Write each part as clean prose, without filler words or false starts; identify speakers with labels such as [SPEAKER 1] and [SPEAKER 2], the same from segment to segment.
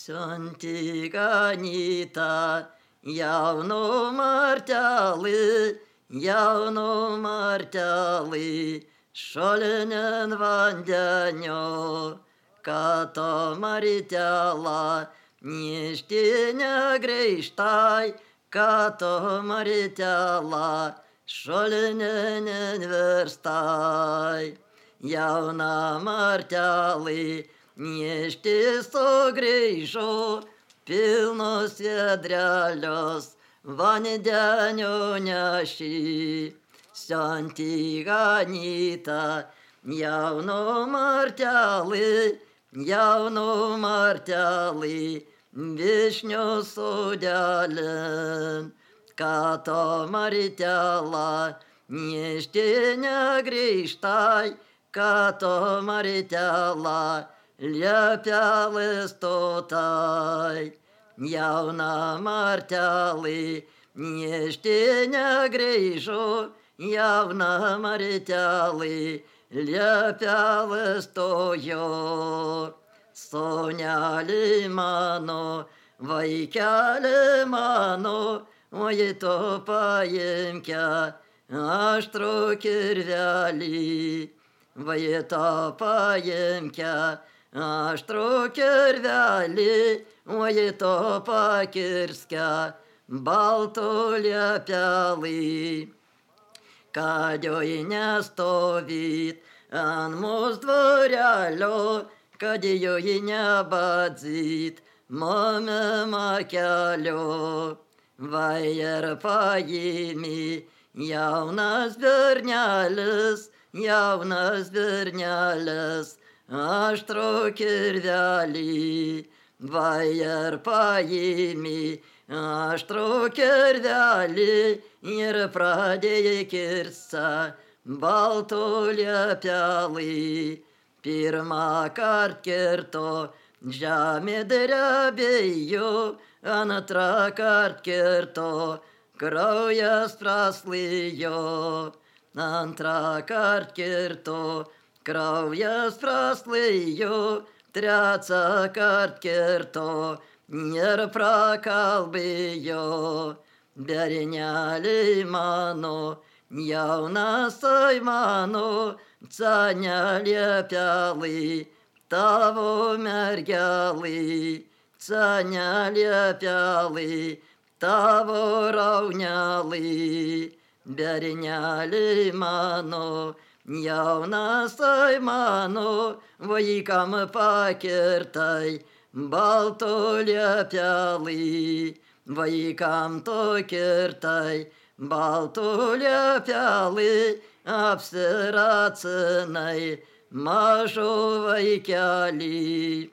[SPEAKER 1] Siunti ganyta jaunu martelį, šalinin vandenio, kad to martelą nešti negrįžtai, kad to martelą šalinin verstai. Jauna martelį nešti sugrįžo, pilnos vedrelios vandenio nešė. Siunti ganyta jaunu martelį, vyšnių sodelin, kad to martelą nešti negrįžtai, kad to martelą liepelės stotai. Jauna martelį nešti negrįžo, jauna martelį liepelės stojo. Sonelį mano, vaikelį mano, oi to paimke aštrų kirvelį. Vai to paimke aštrų kirvelį, oi to pakirske baltų liepelį. Kad joj nestovyt ant mūsų dvarelio, kad joj nebadzyt momema kelio. Vai ir paimi jaunas bernelis, aštrų kirvelį. Vai ir paimi aštrų kirvelį ir pradėjai kirsta baltų liepelį. Pirmą kart kirto žemė drebėjo, antrą kart kirto kraujas praslijo. Antrą kart kirto kraujas praslijo, trečią kart kirto ir prakalbėjo. Berneliai mano, jaunasai mano, ca neliepelį tavo mergelį, ca neliepelį tavo raunelį. Berneliai mano, jaunasai mano, vaikam pakirtai baltų liepelį. Vaikam to kirtai baltų liepelį, apsiracinai mažų vaikelį.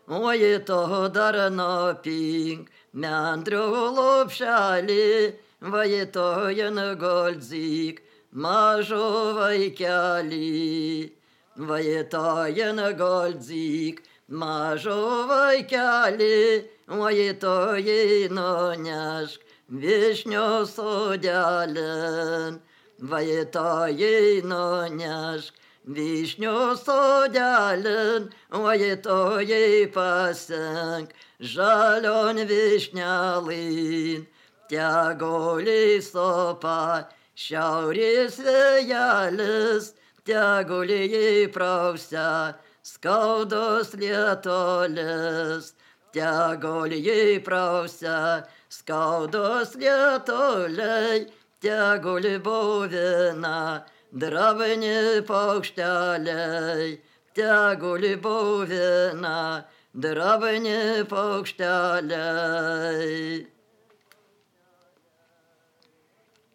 [SPEAKER 1] Oi to dar nopink mendrių lopšelį, vai to jengolzik mažų vaikelį. Vai to jengolzik mažų vaikelį, oi to jį nunešk vyšnių sodelin. Vai to jį nunešk vyšnių sodelin, oi to jį pasink žalion vyšnelin. Teguli sopa šiaurės vėjelis, teguli jį prausia skaudos lietulis. Teguli jį prausia skaudos lietuliai, teguli buvina dravini paukšteliai. Teguli buvina dravini paukšteliai.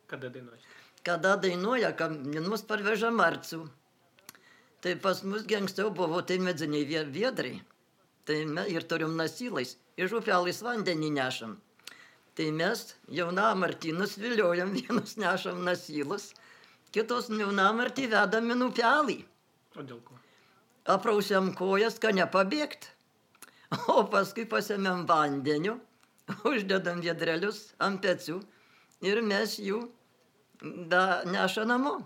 [SPEAKER 2] Kada dainuoja?
[SPEAKER 1] Kada dainuoja, kad mus parveža marcių. Tai pas mus anksčiau buvo tai medziniai viedrai. Tai ir turim nasylais, iš upelais vandenį nešam. Tai mes jaunamartynus viliojam, vienus nešam nasylus, kitos jaunamartį vedam į upelį.
[SPEAKER 2] O dėl ko?
[SPEAKER 1] Aprausiam kojas, kad nepabėgt. O paskui pasėmėm vandeniu, uždedam viedrelius ant pečių ir mes jų neša namo.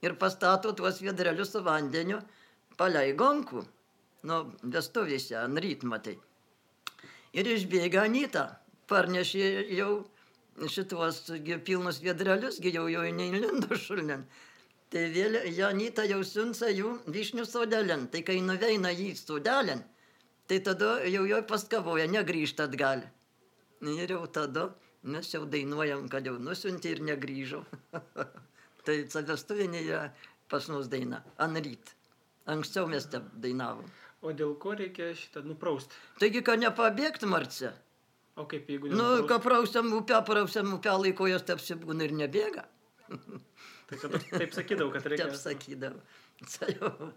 [SPEAKER 1] Ir pastato tuos viedrelius su vandeniu palei gonkų, nu, vestuvėse, ant rytmatai. Ir išbėga Anyta. Parnešė jau šitos pilnus viedrelius, jau neįlindo šulnin. Tai vėl Anyta jau siunca jų vyšnių sodelin. Tai kai nuveina jį sodelin, tai tada jau jo paskavoja, negrįžta atgal. Ir jau tada mes jau dainuojam, kad jau nusiuntė ir negrįžo. Tai vestuvinė yra pas mus daina. Anryt. Anksčiau mes taip dainavom.
[SPEAKER 2] O dėl ko reikia šitą nupraust?
[SPEAKER 1] Taigi, kad nepabėgt, Marce.
[SPEAKER 2] O kaip jeigu
[SPEAKER 1] Nu, ką prausiam upę laikojas, taip būna ir nebėga.
[SPEAKER 2] Tai čia taip sakydavau, kad reikia.
[SPEAKER 1] Taip sakydavau.